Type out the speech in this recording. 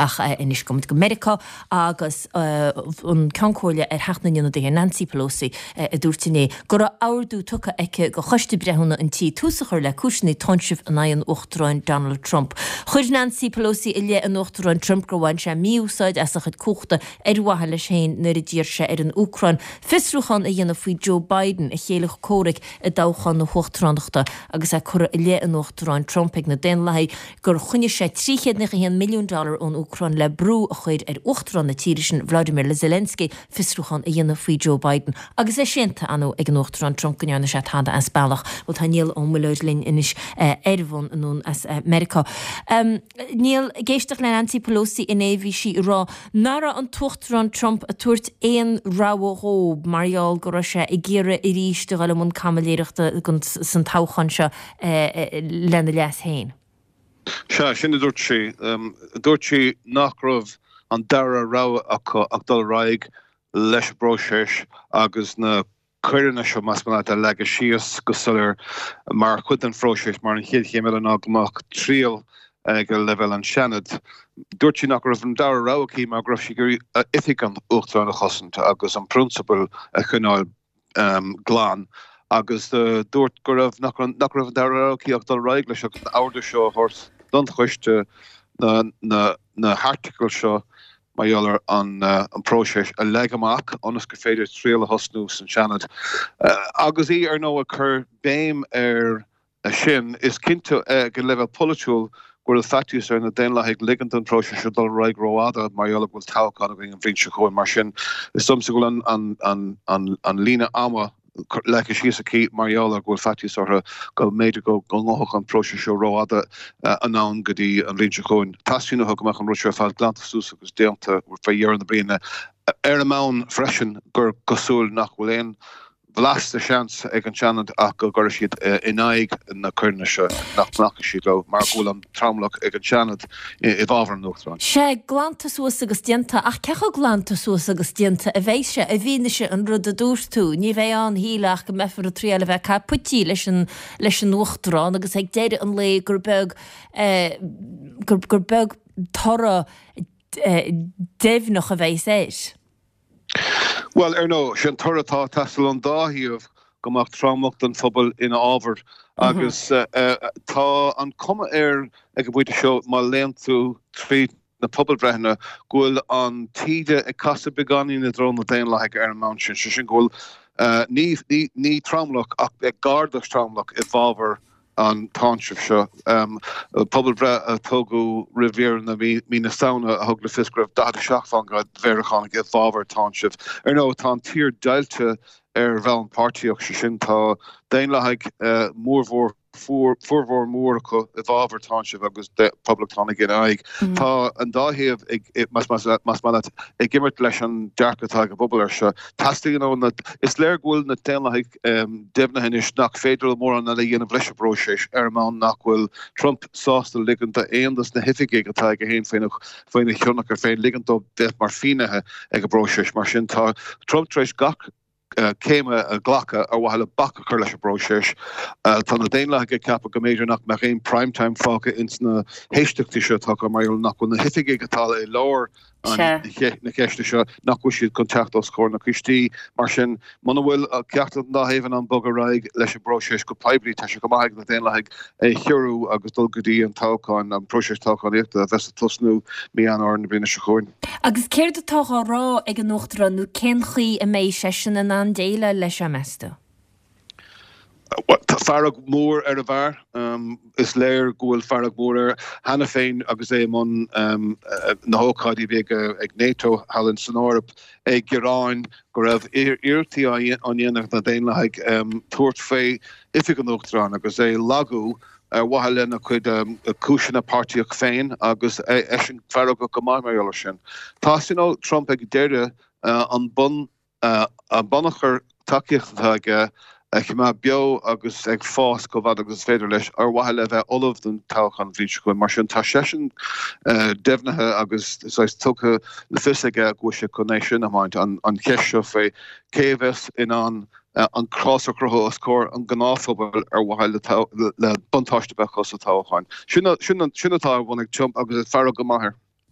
Ach anois gabhfaidh muid go Meiriceá agus an Ceann Comhairle ar Theach na nIonadaithe, Nancy Pelosi, a dúirt inné go raibh ordú tugtha aici do Choiste Breithiúna an Tí tús a chur le cúiseanna táinsimh in aghaidh an Uachtaráin Donald Trump. Chuir Nancy Pelosi i leith an Uachtaráin Trump gur bhain sé mí-úsáid as a chuid cumhachta ar mhaithe leis féin nuair a d'iarr sé ar an Úcráin fiosrúchán a dhéanamh faoi Joe Biden, a chéile comhraic i dtoghchán na huachtaránachta agus é curtha i leith an Uachtaráin Trump ag na Daonlathaigh gur choinnigh sé 391 milliún dollar ón Úcráin le brú a chur ar Uachtarán na tíre sin, Vladimir Zelensky, fiosrúchán a dhéanamh faoi Joe Biden. Agus é séanta, ar ndóigh, ag an Uachtarán Trump go ndearna sé tada as bealach. Bhuel, tá Niall Ó Muilleoir linn anois ar an bhfón anonn as Meiriceá. Niall, ag éisteacht le Nancy Pelosi inné bhí sí ag rá nach raibh an tUachtarán Trump ag tabhairt aon rabhadh dhó mar gheall go raibh sé ag iarraidh arís a dhul i mbun caimiléireachta san toghchán seo lena leas féin. Sea, sin a dúirt sí. Dúirt sí nach raibh an dara rogha acu ach dul ar aghaidh leis an bpróiseas agus na coireanna seo, más maith leat, a leagadh síos go soiléir mar chuid den phróiseas, mar an chéad chéim eile ná go mbeadh triail ag leibhéal an Seanad. Dúirt sí nach raibh an dara rogha aici mar go raibh sí ag iarraidh oifig an Uachtaráin a chosaint agus an prionsabal a choinneáil glan agus dúirt go raibh nach raibh an dara rogha aici ach dul ar aghaidh leis agus an ordú seo a thabhairt don choiste na na hairteagail seo mar gheall ar an bpróiseas a leagan amach ionas gur féidir triail a thosnú san Seanad. Agus í, ar ndóigh, ag cur béim air sin, is cinnte ag an leibhéal polaitiúil go bhfuil faitíos ar na Daonlathaigh ligean don phróiseas seo dul ar aghaidh rófhada mar gheall go bhfuil toghchán againn an bhliain seo chugainn. Mar sin, is dóigh liomsa go bhfuil an líne ama leagtha síos aici mar gheall ar go bhfuil faitíos orthu go mb'fhéidir go ngabhfadh an próiseas seo rófhada anonn go dtí an bhliain seo chugainn. Teastaíonn uathu go mbeadh an rud seo ar fad glanta suas agus déanta fé dheireadh na bliana. Ar an mbonn freisin gur cosúil nach bhfuil aon bhlas de sheans ag an Seanad ach go gcuirfidh siad in aghaidh na coireanna seo, nach nglacfaidh siad leo mar go bhfuil an tromlach ag an Seanad i bhfabhar an Uachtaráin. Sea, glanta suas agus déanta, ach cé chomh glanta suas agus déanta a bheidh sé, i bhfianaise an rud a dúirt tú? Ní bheidh ann, shílfeá, ach go mbeifear ag triail a bheith ag caitheamh puití leis an, leis an Uachtarán agus ag deireadh an lae gur beag, gur, gur beag toradh deimhneach a bheas air. Bhuel, ar ndóigh, sé an toradh atá ag teastáil ón dá thaobh go mbeadh tromlach den phobal ina fhábhar agus tá an cuma air ag an bpointe seo má léann tú tríd na pobalbhreitheanna go bhfuil an taoide ag casadh beagáinín i dtreo na Daonlathaigh ar an mbonn sin, sé sin go bhfuil ní ní tromlach ach gar do thromlach i bhfabhar an táinseamh seo. Pobalbhreith a tógadh roimh dheireadh na mí na Samhna a thug le fios go raibh 47% de Mheiriceánaigh i bhfabhar táinsimh. Ar ndóigh, tá an tír deighilte ar bhonn páirtíoch, sé sin, tá Daonlathaigh mórmhór, formhór mór acu i bhfabhar táinsimh agus Poblachtánaigh ina aghaidh. Tá an dá thaobh ag, más maith leat, ag imirt leis an dearcadh atá ag an bpobal air seo. Teastaíonn ó na, is léir go bhfuil na Daonlathaigh, deimhnithe anois nach féidir leo mórán eile a dhéanamh leis an bpróiseas, ar an mbonn nach bhfuil Trump sásta ligean d'aon dos na hoifigigh atá aige féin faoina thionchar féin ligean dóibh bheith mar fhinnéithe ag an bpróiseas. Mar sin, tá Trump tar éis gach céim a ghlacadh ar mhaithe le bac a chur leis an bpróiseas. Tá na Daonlathaigh ag ceapadh go mb'fhéidir nach mbeadh aon prime time fágtha ins na héisteachtaí seo atá acu mar gheall nach bhfuil na hoifigigh atá i lár na ceiste seo, nach bhfuil siad chun teacht os comhair na coistí. Mar sin, muna bhfuil ceachtar den dá thaobh in ann bogadh ar aghaidh leis an bpróiseas go poiblí, tá sé go maith ag na Daonlathaigh é a chiorrú agus dul go dtí an toghchán, an próiseas toghchánaíochta a bheas ag tosnú mí Eanáir na bliana seo chugainn. Agus céard atá á rá ag an Uachtarán nó cén chaoi a mbeidh seisean in ann déileáil leis seo, meas tú? Tá fearg mhór ar an bhfear. Is léir go bhfuil fearg mhór air cheana féin agus é i mbun na hócáidí a bhí ag NATO thall in san Eoraip ag gearán go raibh iarrachtaí á ndéanamh ag na Daonlathaigh tabhairt faoi oifig an Uachtaráin agus é a lagú ar mhaithe lena chuid cúiseanna páirtíoch féin agus eisean feargach go maith mar gheall air sin. Teastaíonn ó Trump ag deireadh an bun an bunachar tacaíochta atá aige a choimeád beo agus ag fás chomh fada agus is féidir leis, ar mhaithe le bheith ullamh don toghchán an bhliain seo chugainn. Mar sin, tá seisean deimhnithe agus saghas tugtha le fios aige go bhfuil sé chun é sin a thiomáint, an cheist seo faoi cé a bheas in ann an cás a chruthú os comhair an ghnáthphobail ar mhaithe le buntáiste a bheith acu sa toghchán. Sin atá ar bun ag Trump agus fearg go maith air.